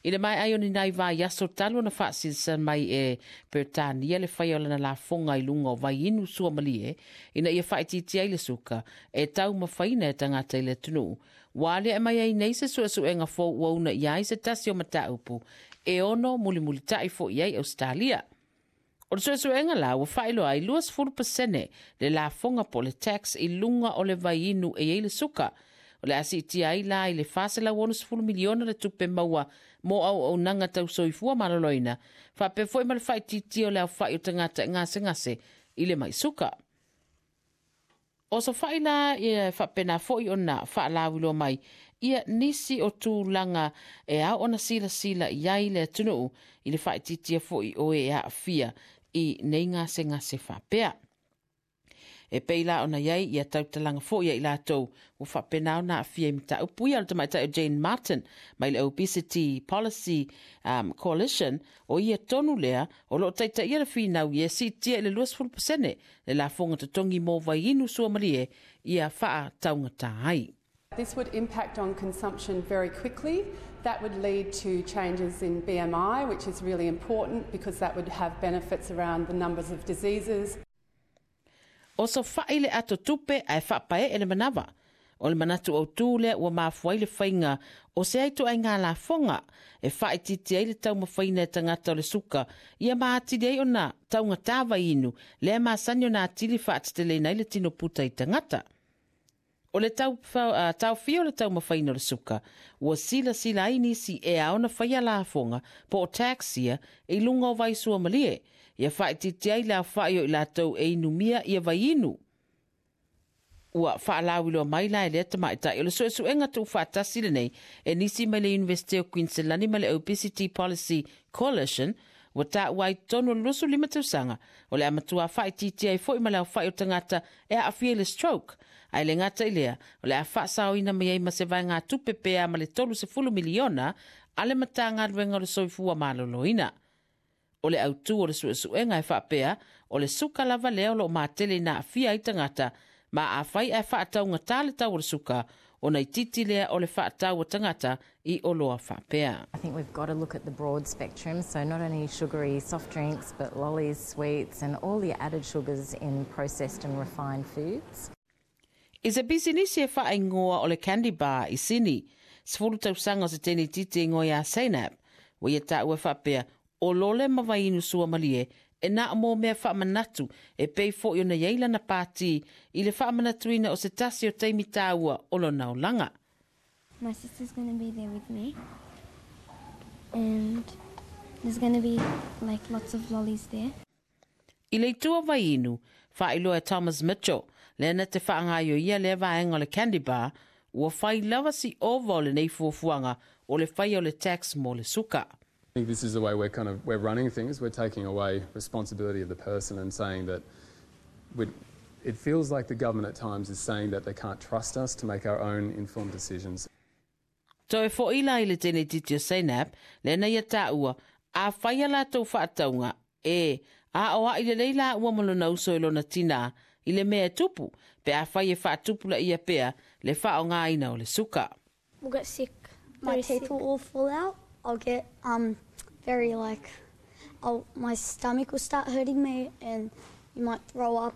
I le maea ai o ni nai vaiaso talu ona faasilasila mai e Peretania le faia o lana lafoga i luga o vaiinu suamalie ina ia faaitiitia ai le suka e taumafaina e tagata i le atunuu, ua aliae mai ai nei se suesuega fou ua uunaia ai se tasi o mataupu e ono mulimulitai foi ai Ausetalia. O le suesuega la ua faailoa ai 20% le lafoga po o le tax i luga o le vaiinu e i ai le suka. O le a siitia ai la i le $460 miliona le tupe maua mo auaunaga tau soifua maloloina, faapea foi ma le faaitiitia o le aofai o tagata e gasegase i le mai suka. O sofa'i la e faapena foi ona faalauiloa mai ia nisi o tulaga e ao ona silasila i ai le atunuu i le faaitiitia foi o e aafia i nei gasegase faapea. E pei la ona i ai ia tautalaga foi a i latou ua faapena ona aafia i mataupu ia. O le tamaitai o Jane Martin mai le Obesity Policy Coalition, o ia tonu lea o lo o taitaia le finau ia siitia i le 20% le lafoga totogi mo vaiinu suamalie ia faataugata ai. This would impact on consumption very quickly. That would lead to changes in BMI, which is really important because that would have benefits around the numbers of diseases. Osofa'i le ato tupe ae faapae'e le manava. O le manatu autū lea ua mafua ai le faiga o se ituaiga lafoga e faaitiitia ai le taumafaina e tagata o le suka ia ma atili ai ona taugatā vaiinu lea masani ona atili faateteleina ai le tino puta i tagata. O le taofia o le taumafaina o le suka, ua silasila ai nisi e ao ona faia lafoga po o tax ia i luga o vai suamalie, ia faaitiitia ai le aofai o i latou e inumia ia vaiinu. Ua faalauiloa mai la e lea tamaitai o le suesuega tuufaatasi lenei e nisi mai le Iunivesite o Queensland ma le Obesity Policy Coalition, ua taua ai totonu o le 25 tausaga o le a matua faaitiitia ai foi ma le aofai o tagata e aafia i le stroke, ae le gata i lea, o le a faasaoina mai ai ma se vaegatupe pe a ma le 30 miliona a le Matagaluega o le Soifua Maloloina. O le autū o le suesuega e faapea, o le suka lava lea o lo o matele ina aafia ai tagata, ma afai ae faataugatā le tau o le suka, ona itiiti lea o le faatau a tagata i oloa faapea. I think we've got to look at the broad spectrum, so not only sugary soft drinks, but lollies, sweets, and all the added sugars in processed and refined foods. I se pisinisi e faaigoa o le Candy Bar i Sini, 10 tausaga o se teine itiiti e igoa ia Zainab, ua ia taua e faapea, o lole ma vaiinu suamalie e na o mo mea faamanatu e pei foi ona i ai lana pātī i le faamanatuina o se tasi o taimi tāua o lona olaga. My sister's going to be there with me. And there's going to be like lots of lollies there. I le itu o vaiinu, faailoa e Thomas Mitchell, lea na te faagaoioia lea vaega o le Candy Bar, ua fai lava si ova o lenei fuafuaga o le faia o le tax mo le suka. I think this is the way we're kind of we're running things. We're taking away responsibility of the person and saying that it feels like the government at times is saying that they can't trust us to make our own informed decisions. Toe fo'i la i le teine itiiti o Zainab, lea na ia taua, afai a latou faatauga, e aoa'i lelei laua ma lona uso i lona tinā i le mea e tupu, pe afai e faatupulaia pea le faaaogaina o le suka. We'll get sick. My Very teeth sick. will all fall out. I'll get very like, my stomach will start hurting me and you might throw up.